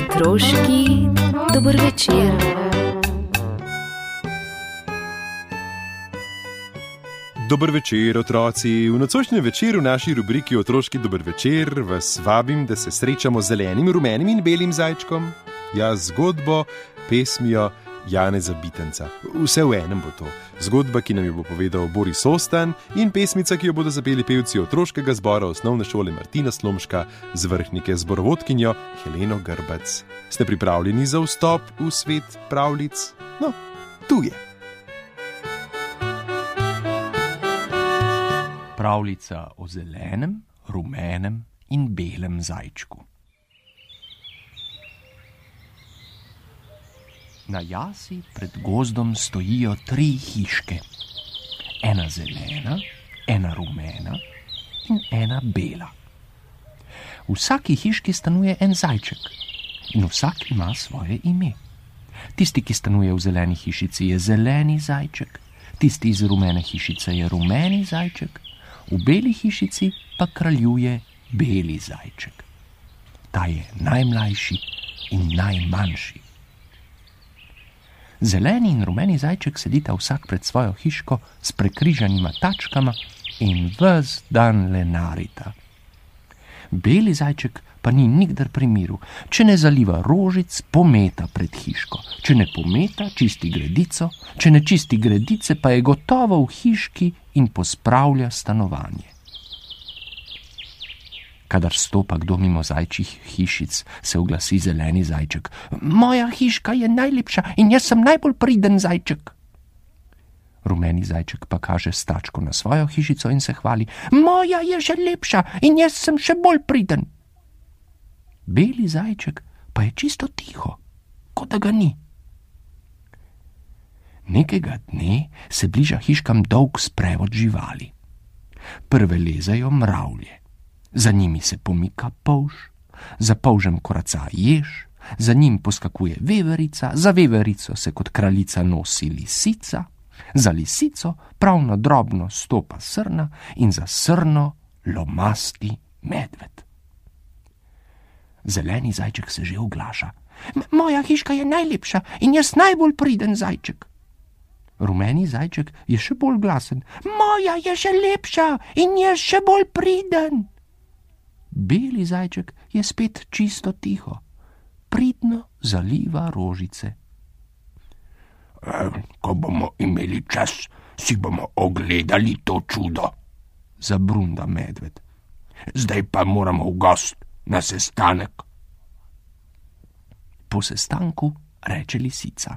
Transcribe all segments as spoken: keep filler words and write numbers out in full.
Otroški dober večer. Dober večer, otroci. V nocojšnjem večeru v naši rubriki Otroški dober večer vas vabim, da se srečamo z zelenim, rumenim in belim zajčkom. Ja, zgodbo, pesmijo Janeza Bitenca. Vse v enem bo to. Zgodba, ki nam jo bo povedal Boris Ostan, in pesmica, ki jo bodo zapeli pevci otroškega zbora osnovne šole Martina Slomška z Vrhnike, zborovodkinjo Heleno Grbac. Ste pripravljeni za vstop v svet pravljic? No, tu je. Pravljica o zelenem, rumenem in belem zajčku. Na jasi pred gozdom stojijo tri hiške. Ena zelena, ena rumena in ena bela. V vsaki hiški stanuje en zajček in vsak ima svoje ime. Tisti, ki stanuje v zeleni hišici, je zeleni zajček, tisti iz rumene hišice je rumeni zajček, v beli hišici pa kraljuje beli zajček. Ta je najmlajši in najmanjši. Zeleni in rumeni zajček sedita vsak pred svojo hiško s prekrižanima tačkama in ves dan lenarita. Beli zajček pa ni nikdar pri miru. Če ne zaliva rožic, pometa pred hiško. Če ne pometa, čisti gredico. Če ne čisti gredice, pa je gotovo v hiški in pospravlja stanovanje. Kadar stopa kdo mimo zajčjih hišic, se oglasi zeleni zajček. Moja hiška je najlepša in jaz sem najbolj priden zajček. Rumeni zajček pa kaže s tačko na svojo hišico in se hvali. Moja je že lepša in jaz sem še bolj priden. Beli zajček pa je čisto tiho, kot da ga ni. Nekega dne se bliža hiškam dolg sprevod živali. Prve lezejo mravlje. Za njimi se pomika polž, za polžem koraca jež, za njim poskakuje veverica, za veverico se kot kraljica nosi lisica, za lisico pravno drobno stopa srna in za srno lomasti medved. Zeleni zajček se že oglaša. Moja hiška je najlepša in jaz najbolj priden zajček. Rumeni zajček je še bolj glasen. Moja je še lepša in jaz še bolj priden. Beli zajček je spet čisto tiho, pridno zaliva rožice. E, ko bomo imeli čas, si bomo ogledali to čudo, zabrunda medved. Zdaj pa moramo v gost na sestanek. Po sestanku reče lisica.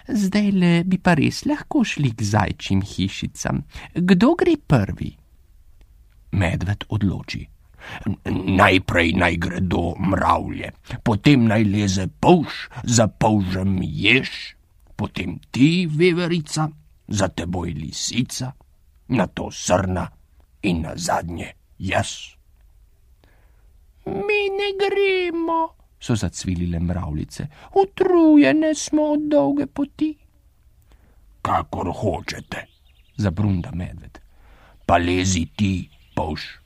Zdajle bi pa res lahko šli k zajčjim hišicam. Kdo gre prvi? Medved odloči. Najprej naj gredo mravlje, potem naj leze polž, za polžem jež, potem ti, veverica, za teboj lisica, nato srna in nazadnje jaz. Mi ne gremo, so zacvilile mravljice, utrujene smo od dolge poti. Kakor hočete, zabrunda medved, pa lezi ti, polž.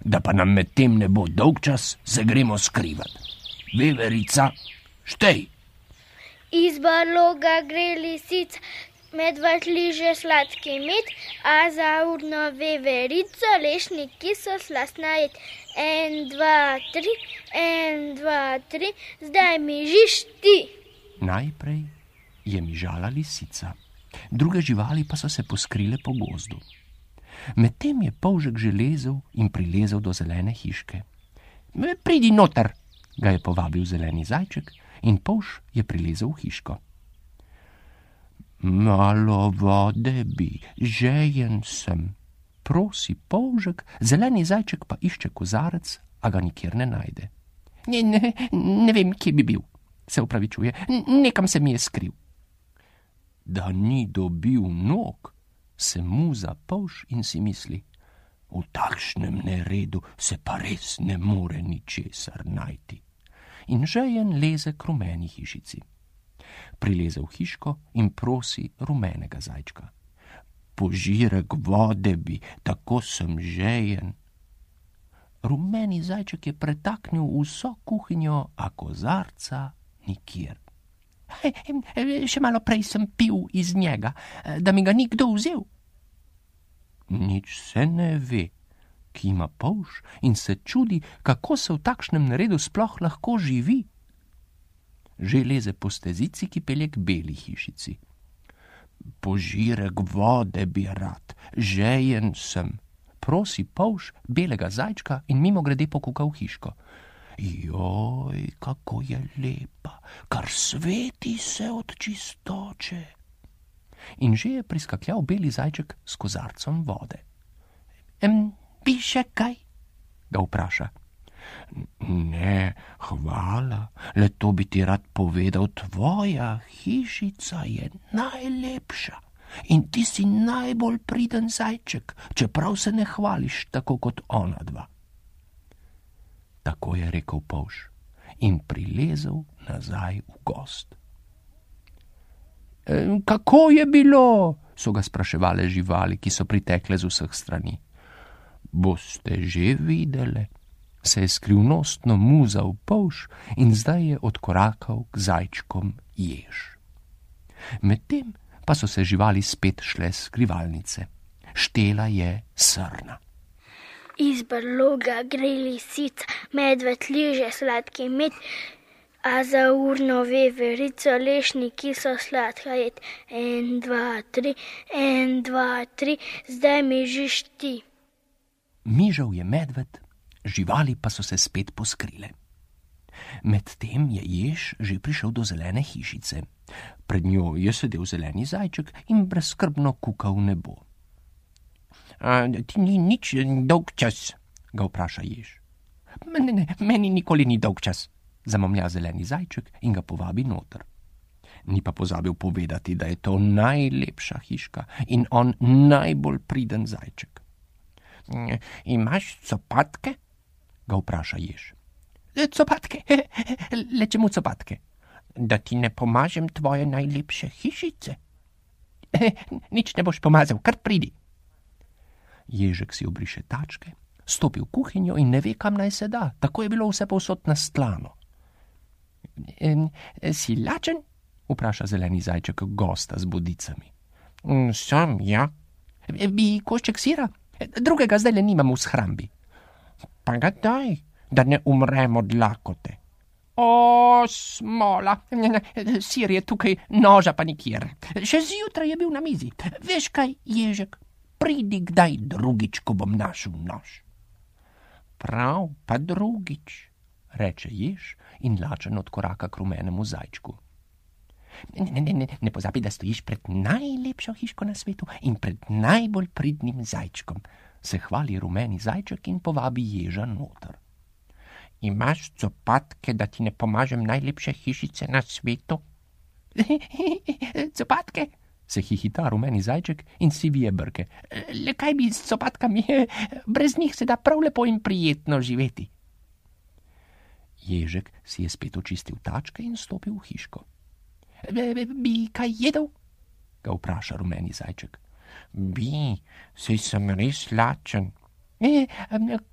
Da pa nam med tem ne bo dolg čas, se gremo skrivat. Veverica, štej. Iz barloga gre lisica, medved liže sladki med, a za urno veverico lešniki so slastna jed. En, dva, tri, en, dva, tri, zdaj mi žiš ti. Najprej je mižala lisica, druge živali pa so se poskrile po gozdu. Medtem je polžek že lezel in prilezel do zelene hiške. Pridi noter, ga je povabil zeleni zajček in polž je prilezel v hiško. Malo vode bi, žejen sem, prosi polžek, zeleni zajček pa išče kozarec, a ga nikjer ne najde. Ne, ne, ne vem, kje bi bil, se opravičuje, nekam se mi je skril. Da ni dobil nog, se muza polž in si misli, v takšnem neredu se pa res ne more ničesar najti. In žejen leze k rumeni hišici. Prileze v hiško in prosi rumenega zajčka. požirek vode bi, tako sem žejen. Rumeni zajček je pretaknil vso kuhinjo, a kozarca nikjer. Še malo prej sem pil iz njega, da mi ga ni kdo vzel. Nič se ne ve, kima polž in se čudi, kako se v takšnem neredu sploh lahko živi. Že leze po stezici, ki pelje k beli hišici. Požirek vode bi rad, žejen sem, prosi polž belega zajčka in mimo grede pokuka v hiško. Joj, kako je lepa, kar sveti se od čistoče. In že je priskakljal beli zajček s kozarcem vode. Em, bi še kaj? Ga vpraša. Ne, hvala, le to bi ti rad povedal, tvoja hišica je najlepša in ti si najbolj priden zajček, čeprav se ne hvališ tako kot ona dva. Tako je rekel polž in prilezel nazaj v gost. E, kako je bilo? So ga spraševale živali, ki so pritekle z vseh strani. Boste že videle, se je skrivnostno muzal polž in zdaj je odkorakal k zajčkom jež. Medtem pa so se živali spet šle s skrivalnice. Štela je srna. Iz brloga gre lisica, medved liže sladki med, a za urno veverico lešniki so sladka jed. En, dva, tri, en, dva, tri, zdaj mi žiš ti. Mižal je medved, živali pa so se spet poskrile. Medtem je jež že prišel do zelene hišice. Pred njo je sedel zeleni zajček in brezskrbno kukal v nebo. A, ti ni nič dolg čas, ga vpraša jež. Ne, ne, meni nikoli ni dolg čas, zamomlja zeleni zajček in ga povabi noter. Ni pa pozabil povedati, da je to najlepša hiška in on najbolj priden zajček. Imaš copatke? Ga vpraša jež. Copatke? Le čemu copatke? Da ti ne pomažem tvoje najlepše hišice. Nič ne boš pomazal, kar pridi. Ježek si obriše tačke, stopi v kuhinjo in ne ve, kam naj se da. Tako je bilo vse povsod nastlano. E, si lačen? Vpraša zeleni zajček gosta z bodicami. Sem, ja. E, bi košček sira? Drugega zdaj le nimam v shrambi. Pa ga daj, da ne umrem od lakote. O, smola, sir je tukaj, noža pa nikjer. Še zjutraj je bil na mizi. Veš kaj, ježek? Pridi kdaj drugič, ko bom našel nož. Prav, pa drugič, reče jež in lačen odkoraka k rumenemu zajčku. Ne, ne, ne, ne pozabi, da stojiš pred najlepšo hiško na svetu in pred najbolj pridnim zajčkom, se hvali rumeni zajček in povabi ježa noter. Imaš copatke, da ti ne pomažem najlepše hišice na svetu? Copatke? Se hihita rumeni zajček in si vije brke. Le kaj bi s copatkami? Brez njih se da prav lepo in prijetno živeti. Ježek si je spet očistil tačke in stopil v hiško. Bi kaj jedel? Ga vpraša rumeni zajček. Bi, saj sem res lačen. E,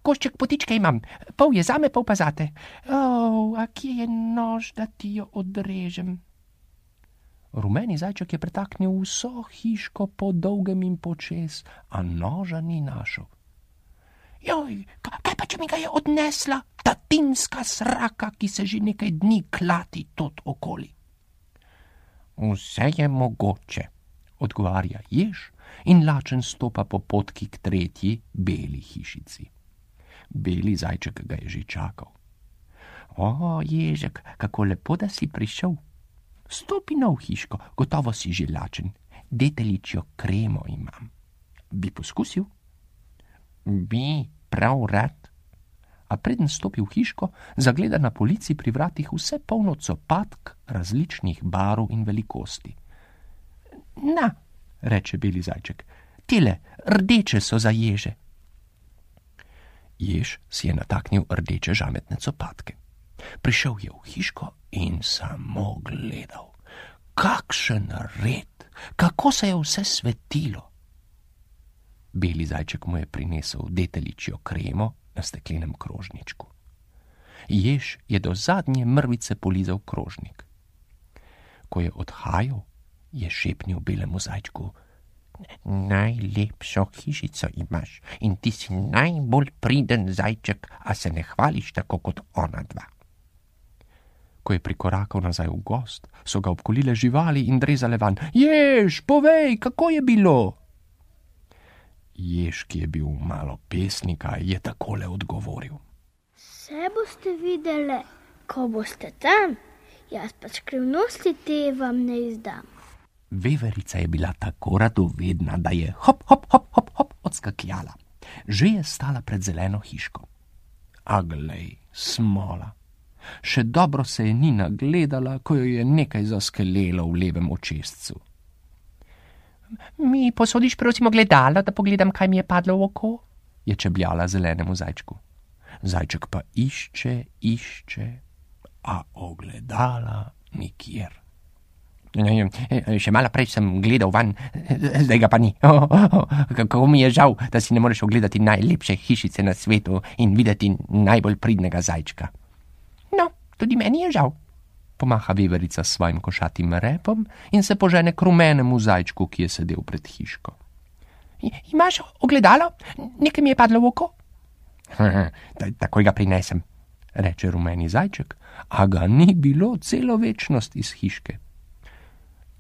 košček potičke imam, pol je zame, pol pa zate. O, a kje je nož, da ti jo odrežem? Rumeni zajček je pretaknil vso hiško po dolgem in počez, a noža ni našel. Joj, kaj pa, če mi ga je odnesla ta tinska sraka, ki se že nekaj dni klati tot okoli? Vse je mogoče, odgovarja jež in lačen stopa po potki k tretji beli hišici. Beli zajček ga je že čakal. O, ježek, kako lepo, da si prišel. Stopi na v hiško, gotovo si že lačen. Deteljičjo kremo imam. Bi poskusil? Bi, prav rad. A preden stopi v hiško, zagleda na polici pri vratih vse polno copatk različnih barv in velikosti. Na, reče beli zajček, tile, rdeče so za ježe. Jež si je nataknil rdeče žametne copatke. Prišel je v hiško in samo gledal. Kakšen red, kako se je vse svetilo. Beli zajček mu je prinesel deteljičjo kremo na steklenem krožničku. Jež je do zadnje mrvice polizal krožnik. Ko je odhajal, je šepnil belemu zajčku: Najlepšo hišico imaš in ti si najbolj priden zajček, a se ne hvališ tako kot ona dva. Ko je prikorakal nazaj v gozd, so ga obkolile živali in drezale van: Jež, povej, kako je bilo? Jež, ki je bil malo pesnika, je takole odgovoril: Vse boste videli, ko boste tam, jaz pa skrivnosti te vam ne izdam. Veverica je bila tako radovedna, da je hop, hop, hop, hop, hop odskakljala. Že je stala pred zeleno hiško. A glej, smola. Še dobro se je ni nagledala, ko jo je nekaj zaskelelo v levem očescu. Mi posodiš prosim ogledalo, da pogledam, kaj mi je padlo v oko? Je čebljala zelenemu zajčku. Zajček pa išče, išče, a ogledala nikjer. Še malo prej sem gledal van, zdaj ga pa ni. Oh, oh, oh, kako mi je žal, da si ne moreš ogledati najlepše hišice na svetu in videti najbolj pridnega zajčka. No, tudi meni je žal, pomaha veverica s svojim košatim repom in se požene k rumenemu zajčku, ki je sedel pred hiško. Imaš ogledalo? Nekaj mi je padlo v oko? Takoj ga prinesem, reče rumeni zajček, a ga ni bilo celo večnost iz hiške.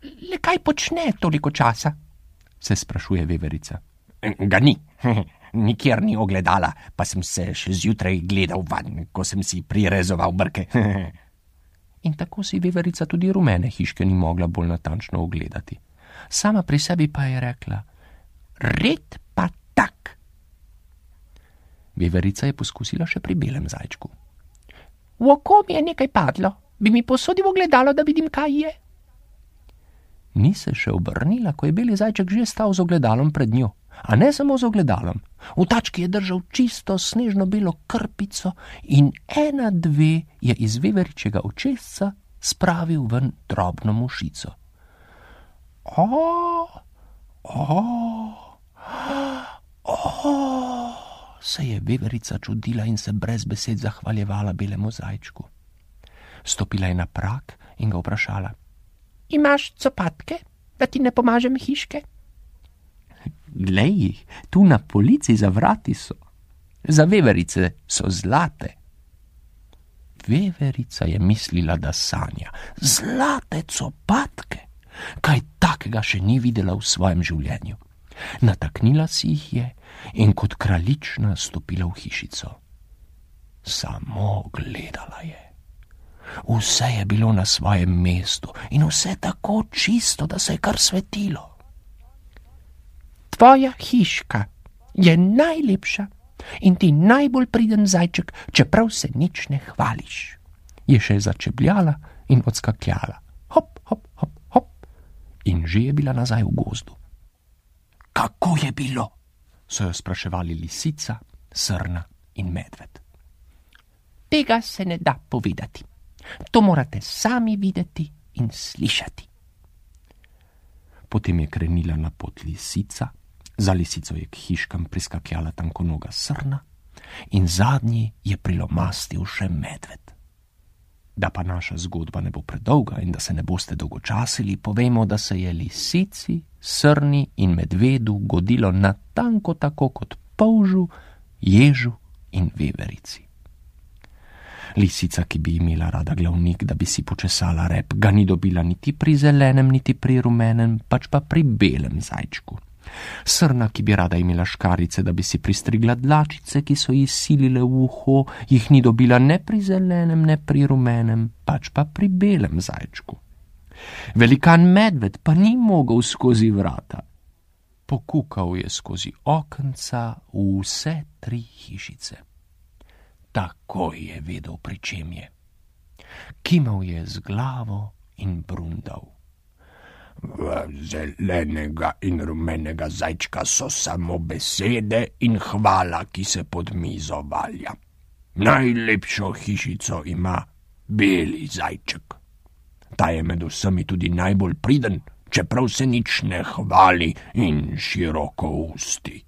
Le kaj počne toliko časa? Se sprašuje veverica. Ga ni, nikjer ni ogledala, pa sem se še zjutraj gledal van, ko sem si prirezoval brke. In tako si veverica tudi rumene hiške ni mogla bolj natančno ogledati. Sama pri sebi pa je rekla: Red pa tak. Veverica je poskusila še pri belem zajčku. V oko mi je nekaj padlo, bi mi posodil ogledalo, da vidim, kaj je? Ni se še obrnila, ko je beli zajček že stal z ogledalom pred njo. A ne samo z ogledalom. V tački je držal čisto snežno belo krpico in ena dve je iz veveričega očesca spravil ven drobno mušico. O, o, o, se je veverica čudila in se brez besed zahvaljevala belemu zajčku. Stopila je na prak in ga vprašala: Imaš copatke, da ti ne pomažem hiške? Glej jih, tu na polici za vrati so. Za veverice so zlate. Veverica je mislila, da sanja. Zlate copatke? Kaj takega še ni videla v svojem življenju. Nataknila si jih je in kot kraljična stopila v hišico. Samo gledala je. Vse je bilo na svojem mestu in vse tako čisto, da se je kar svetilo. Tvoja hiška je najlepša in ti najbolj priden zajček, čeprav se nič ne hvališ. Je še začebljala in odskakljala. Hop, hop, hop, hop. In že je bila nazaj v gozdu. Kako je bilo? So jo spraševali lisica, srna in medved. Tega se ne da povedati. To morate sami videti in slišati. Potem je krenila na pot lisica, za lisico je k hiškam priskakljala tankonoga srna in zadnji je prilomastil še medved. Da pa naša zgodba ne bo predolga in da se ne boste dolgočasili, povemo, da se je lisici, srni in medvedu godilo natanko tako kot polžu, ježu in veverici. Lisica, ki bi imela rada glavnik, da bi si počesala rep, ga ni dobila niti pri zelenem, niti pri rumenem, pač pa pri belem zajčku. Srna, ki bi rada imela škarice, da bi si pristrigla dlačice, ki so ji silile v uho, jih ni dobila ne pri zelenem, ne pri rumenem, pač pa pri belem zajčku. Velikan medved pa ni mogel skozi vrata. Pokukal je skozi okenca v vse tri hišice. Takoj je vedel, pri čem je. Kimal je z glavo in brundal. V zelenega in rumenega zajčka so samo besede in hvala, ki se pod mizo valja. Najlepšo hišico ima beli zajček. Ta je med vsemi tudi najbolj priden, čeprav se nič ne hvali in široko usti.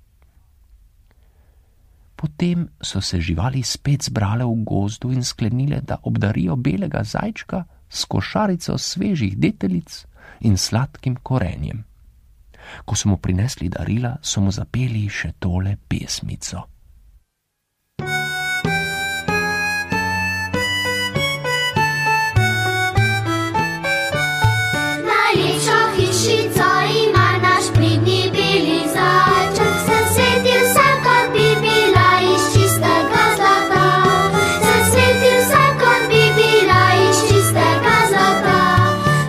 Potem so se živali spet zbrale v gozdu in sklenile, da obdarijo belega zajčka s košarico svežih deteljic in sladkim korenjem. Ko so mu prinesli darila, so mu zapeli še tole pesmico. Najlepšo hišico ima naš pridni beli zajček, se sveti vsa, kot bi bila iz čistega zlata. Se sveti vsa, kot bi bila iz čistega zlata.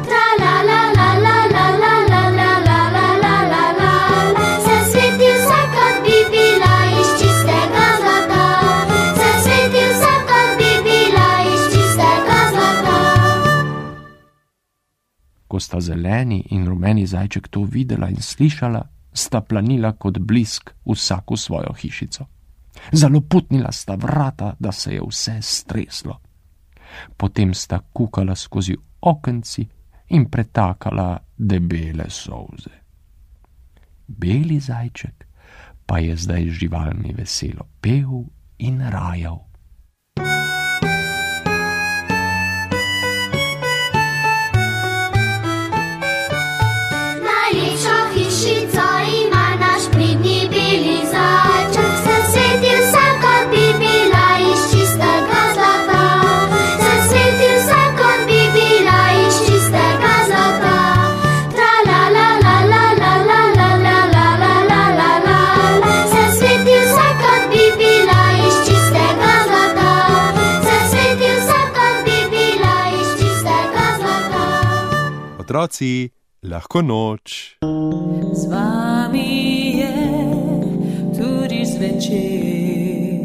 Tra la la la la la la la la la la la la la. Se sveti vsa, kot bi bila iz čistega zlata. Se sveti vsa, kot bi bila iz čistega zlata. Ko sta zeleni in rumeni zajček to videla in slišala, sta planila kot blisk vsak v svojo hišico. Zaloputnila sta vrata, da se je vse streslo. Potem sta kukala skozi okenci in pretakala debele solze. Beli zajček pa je zdaj z živalmi veselo pel in rajal. Najlepšo hišico ima naš pridni beli zajček, se sveti vsa, kot bi bila iz čistega zlata. Se sveti vsa, kot bi bila iz čistega zlata. Tra la la la la la la la la la la la la la. Se sveti vsa, kot bi bila iz čistega zlata. Se sveti vsa, kot bi bila iz čistega zlata. Otroci, lahko noč. Z vami je tudi zvečer,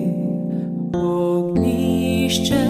ognjišče